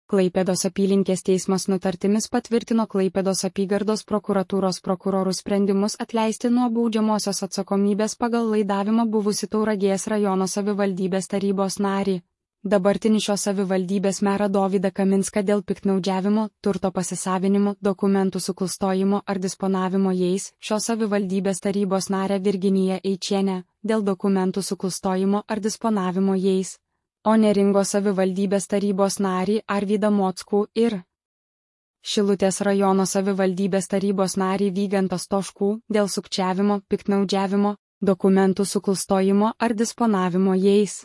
Klaipėdos apylinkės teismas nutartimis patvirtino Klaipėdos apygardos prokuratūros prokurorų sprendimus atleisti nuo baudžiamosios atsakomybės pagal laidavimą buvusį Tauragės rajono savivaldybės tarybos narį. Dabartinį šios savivaldybės merą Dovydą Kaminską dėl piktnaudžiavimo, turto pasisavinimo, dokumentų suklastojimo ar disponavimo jais, šios savivaldybės tarybos narę Virginiją Eičienę, dėl dokumentų suklastojimo ar disponavimo jais, o Neringos savivaldybės tarybos narį Arvydą Mockų ir Šilutės rajono savivaldybės tarybos narį Vygantą Stoškų dėl sukčiavimo, piktnaudžiavimo, dokumentų suklastojimo ar disponavimo jais.